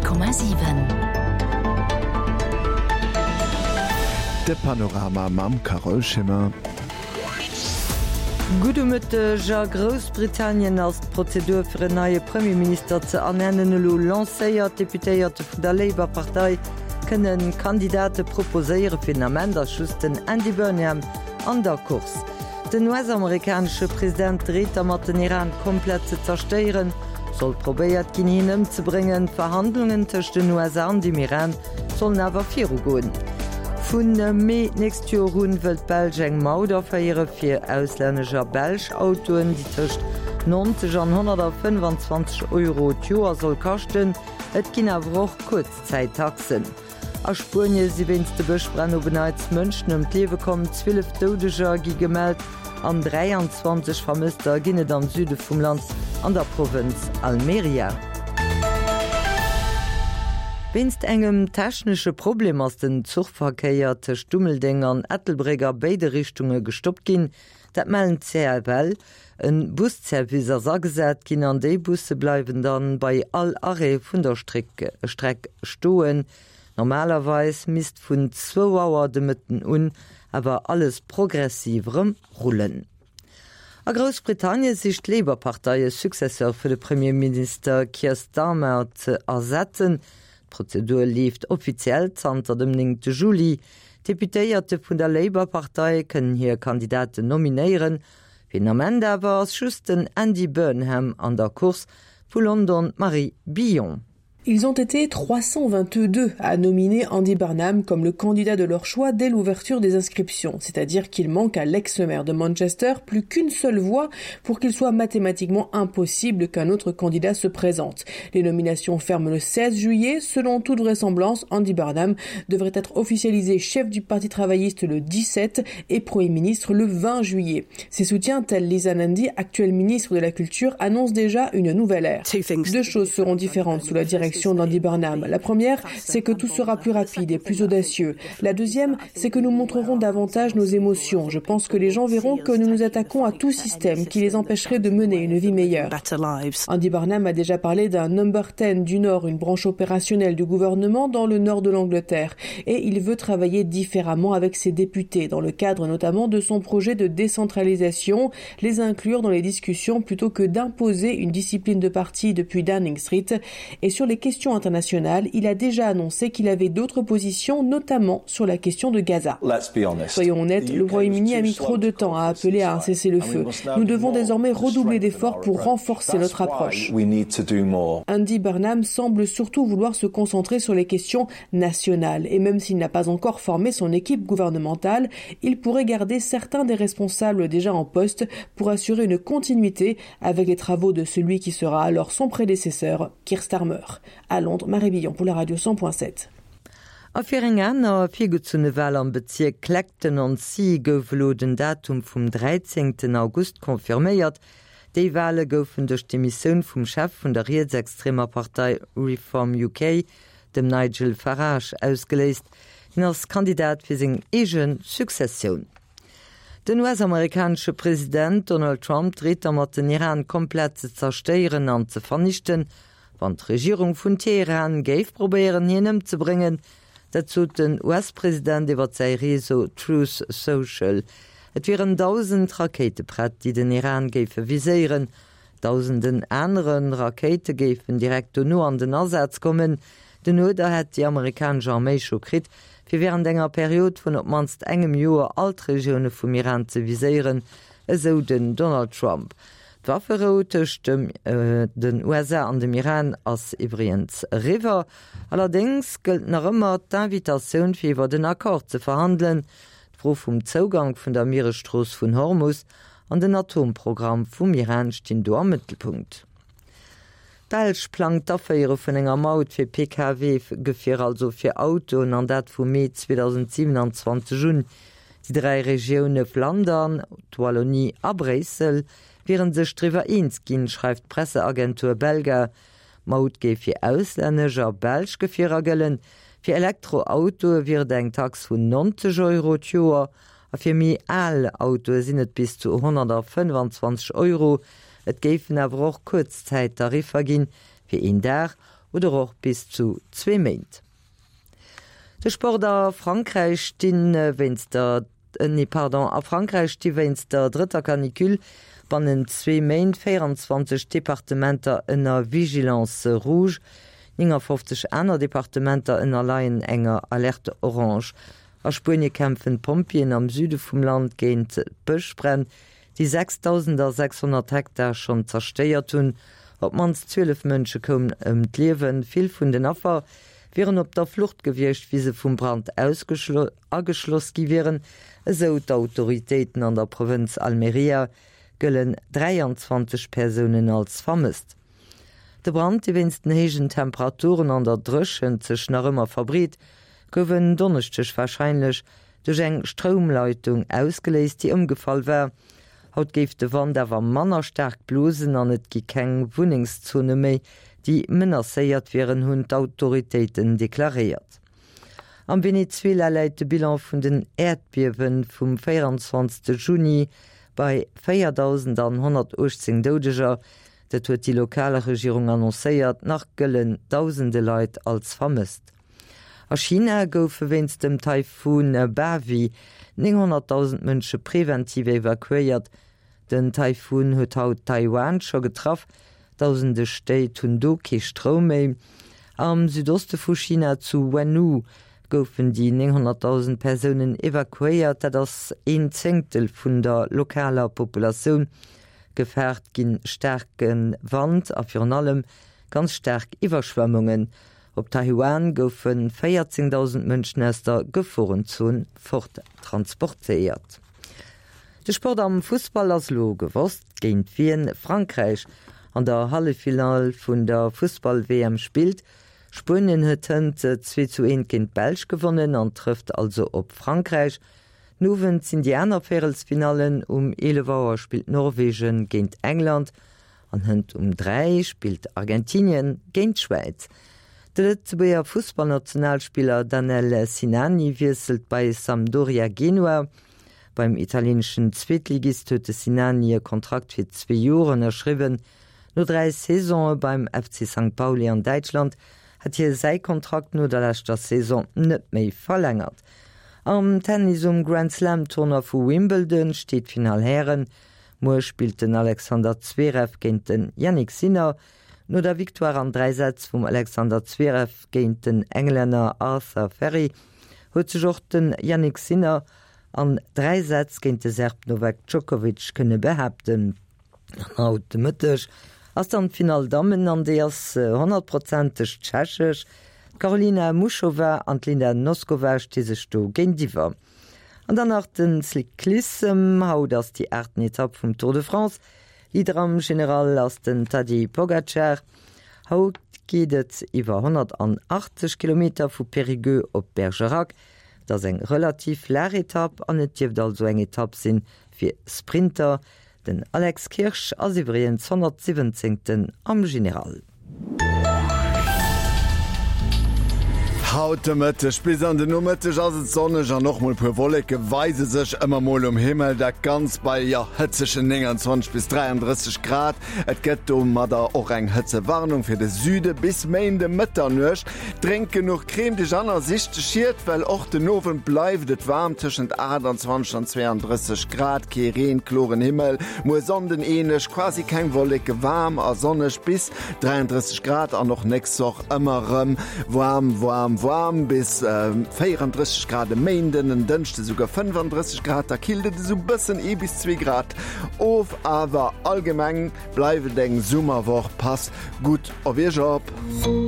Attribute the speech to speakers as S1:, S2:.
S1: 100,7.
S2: De Panorama mam Carole Schimmer.
S3: Gudde Mëtteg. A Groussbritannien ass d'Prozedur fir en neie Premierminister ze ernennen elo lancéiert. D'Deputéierte vun der Labour-Partei kënne Kandidate proposéieren. Fir den Ament ass just den Andy Burnham an der Course. Den US-amerikanesche President dreet dermat, den Iran komplett ze zerstéieren. Soll probéiert ginn, hien ëmzebréngen. D'Verhandlungen tëscht den USA an dem Iran sollen awer virugoen. Vu Mee d'nächst Joer un wëll d'Belsch eng Maut aféiere fir auslännesch a belsch Autoen, déi tëscht 90 an 125 Euro d'Joer soll kaschten. Et ginn awer och Kuerzzäittaxen. A Spuenie si wéinst de Bëschbränn op en Neits Mënschen ëm d'Liewe komm. 12 Doudeger gi gemellt an 23 Vermësster ginn et am Süde vum Land an der Provënz Almeria. Wéinst engem technesche Problem ass den Zuchverkéier tëscht Dummeldeng an Ettelbréck a béide Richtunge gestoppt ginn. Dat mellen d'CFL. En Busservice ass agesat ginn an déi Busse bleiwen dann bei all Arrêt vun der Streck stoen. Normalerweis misst vun zwou Auer de Mëtten un awer alles progressiv erëm rullen. A Groussbritannie sicht d'Labour-Partei e Successeur fir de Premierminister Keir Starmer ze ersetzen. D'Prozedur leeft offiziell zanter dem 9 Juli. D'Deputéierte vun der Labour-Partei kënnen hir Kandidaten nominéieren. Fir den Ament awer ass just den Andy Burnham an der Course, vu London d'Marie Billon.
S4: Ils ont été 322 à nominer Andy Burnham comme le candidat de leur choix dès l'ouverture des inscriptions, c'est-à-dire qu'il manque à l'ex-maire de Manchester plus qu'une seule voix pour qu'il soit mathématiquement impossible qu'un autre candidat se présente. Les nominations ferment le 16 juillet. Selon toute vraisemblance, Andy Burnham devrait être officialisé chef du Parti travailliste le 17 et Premier ministre le 20 juillet. Ses soutiens tels Lisa Nandy, actuel ministre de la Culture, annoncent déjà une nouvelle ère. Deux choses seront différentes sous la direction d'Andy Burnham. La première, c'est que tout sera plus rapide et plus audacieux. La deuxième, c'est que nous montrerons davantage nos émotions. Je pense que les gens verront que nous nous attaquons à tout système qui les empêcherait de mener une vie meilleure. Andy Barnum a déjà parlé d'un number 10 du Nord, une branche opérationnelle du gouvernement dans le nord de l'Angleterre. Et il veut travailler différemment avec ses députés, dans le cadre notamment de son projet de décentralisation, les inclure dans les discussions plutôt que d'imposer une discipline de parti depuis Downing Street. Et sur les questions internationales, il a déjà annoncé qu'il avait d'autres positions, notamment sur la question de Gaza. Soyons honnêtes, le Royaume-Uni a mis trop de temps à appeler à un cessez-le-feu. Nous devons désormais redoubler d'efforts pour renforcer notre approche. Andy Burnham semble surtout vouloir se concentrer sur les questions nationales. Et même s'il n'a pas encore formé son équipe gouvernementale, il pourrait garder certains des responsables déjà en poste pour assurer une continuité avec les travaux de celui qui sera alors son prédécesseur, Keir Starmer. À Londres, Marie Billon pour la radio 100.7.
S3: A fir eng aner virgezunne Wal am Bezierk Clacton-on-Sea gouf elo den Datum vum 13 August confirméiert. Déi Wale goufen duerch d'Demissioun vum Chef vun der rietsextremer Partei Reform UK, dem Nigel Farage, ausgeléist. Hien ass Kandidat fir seng eege Successioun. Den US-amerikanesche President Donald Trump dreet dermat, den Iran komplett ze zerstéieren an ze vernichten, wann d'Regierung vun Teheran géif probéieren, hien ëmzebréngen. Dat sot den US-President iwwer säi Réseau Truth Social. Et wieren 1.000 Rakéite prett, déi den Iran géife viséieren. Dausenden anere Rakéite géifen direkt dono an den Asaz kommen. Den Uerder hätt déi amerikanesch Arméi scho kritt, fir wärend enger Period vun op d'mannst engem Joer all d'Regioune vum Iran ze viséieren, esou den Donald Trump. D'Wafferou tëscht den USA an dem Iran ass iwwregens eriwwer. Allerdéngs gëllt nach ëmmer d'Invitatioun fir iwwert en Accord ze verhandelen. D'Fro vum Zougank vun der Mieresstrooss vun Hormus an den Atomprogramm vum Iran stinn do am Mëttelpunkt. D'Belsch plangt d'Aféiere vun enger Maut fir Pkw-Gefierer, also fir Autoen, an dat vum Mee 2027 un. Déi 3 Regioune Flandern, d'Wallonie a Bréissel wiere sech driwwer eens ginn, schreift d'Presseagentur Belga. D'Maut géif fir auslännesch a belsch Gefierer gëllen. Fir Elektroautoe wier et eng Tax vun 90 Euro d'Joer a fir méi al Autoe sinn et bis zu 125 Euro. Et géifen awer och Kuerzzäittariffer ginn, fir een Dag. oder och bis zu zwee Méint. De Sport a Frankräich stinn wéinst der nee pardon, a Frankräich sti wéinst der drëtter Canicule bannent zwee Méint 24 Departementer ënner Vigilance rouge. 59 aner Departementer ënnerleien enger Alerte orange. A Spuenie kämpfen d'Pompjeeën am Süde vum Land géint d'Bëschbränn, déi 6.600 Hektar schonn zerstéiert hunn. Op d'mannst 12 Mënsche koumen ëm d'Liewen. Vill vun den Affer wieren op der Flucht gewiescht, wéi se vum Brand ageschloss gi wieren, esou d'Autoritéiten. An der Provënz Almería gëllen 23 Persounen als vermësst. De Brand, dee wéinst den héijen Temperaturen an der Dréchent sech nach ëmmer verbreet, gouf en Donneschdeg warscheinlech duerch eng Stroumleitung ausgeléist, déi ëmgefall war. Haut géif de Wand awer manner staark blosen an et gi keng Wunnengszone méi, déi menacéiert wieren, hunn d'Autoritéiten deklaréiert. Am Venezuela läit de Bilan vun den Äerdbiewe vum 24 Juni bei 4.118 Doudeger. Dat huet déi lokal Regierung annoncéiert. Nach gëllen dausende Leit als vermësst. A China goufe wéinst dem Taifun Bavi 900.000 Mënsche preventiv evakuéiert. Den Taifun huet haut Taiwan scho getraff. Dausende Stéit hunn do kee Stroum méi. Am Südoste vu China, zu Wenhu, goufen déi 900.000 Persounen evakuéiert. Dat ass een Zéngtel vun der lokaler Populatioun. Gefaart ginn staarke Wand a virun allem ganz staark Iwwerschwemmungen. Op Taiwan goufe 14.000 Mënschen aus der Geforenzon fort transportéiert. De Sport am Fussball ass elo gewosst, géint wien Frankräich an der Halleffinall vun der Fussball-WM spillt. Spuenien huet hënt 2 zu 1 géint d'Belsch gewonnen an trëfft also op Frankräich. Den Owend sinn déi aner Véierelsfinallen, Um 11 Auer spillt Norwegen géint England An hënt um 3 spillt Argentinien géint d'Schwäiz. De Lëtzebuerger Fussballnationalspiller Danel Sinani wiesselt bei Sampdoria Genua. Beim italieeneschen Zweetligist huet de Sinani e Kontrakt fir zwee Joer ënnerschriwwen. No 3 Saisone beim FC Sankt Pauli an Däitschland hat hie säi Kontrakt no der leschter Saison net méi verlängert. Am Tennis um Grand-Slam-Tournoi vu Wimbledon steet d'Finall Hären. Muer spillt den Alexander Zverev géint den Jannik Sinner. No der Victoire an 3 Sätz vum Alexander Zverev géint den Englänner Arthur Fery huet sech och den Jannik Sinner an 3 Sätz géint de Serb Novak Djokovic kënne behaapten. An haut de Mëtteg ass dann d'Finall Dammen an déi ass honnertprozenteg tschechesch. D'Karolina Muchova an d'Linda Noskova sti sech do géintiwwer. An dann nach den Cyclissem, Haut ass déi aachten Etapp vum Tour de France. Leader am General ass den Tadej Pogacar. Haut geet et iwwer 180 Kilometer vu Périgueux op Bergerac. Et ass eng relativ flaach Etapp an et dierft also eng Etapp sinn fir Sprinter. Den Alex Kirsch ass iwwregens 117. Am General.
S2: Haut de Mëtteg bis an den Nomëtteg ass et sonneg an och mol puer Wolleke weise sech ëmmer mol um Himmel. Dat Ganzt bei, jo, hëtzegen 29 bis 33 Grad. Et gëtt domadder och eng Hëtzewarnung fir de Süde bis Méinde Mëtternuecht. Drénk genuch, crème dech an a sich de Schiet, well och den Owend bleift et waarm, tëschent 28 an 32 Grad. Kee Reen, kloren Himmel. Muer Sonnden änlech, quasi keng Wolleke, waarm a sonneg bis 33 Grad an och nächst Woch ëmmer rëm waarm, waarm, waarm bis 34 Grad e Méinden, en Dënschde souguer 35 Grad. Da killt et esou bëssen ee bis zwee Grad of, awer allgemeng bleift et eng Summerwoch. Pass gutt op Iech op!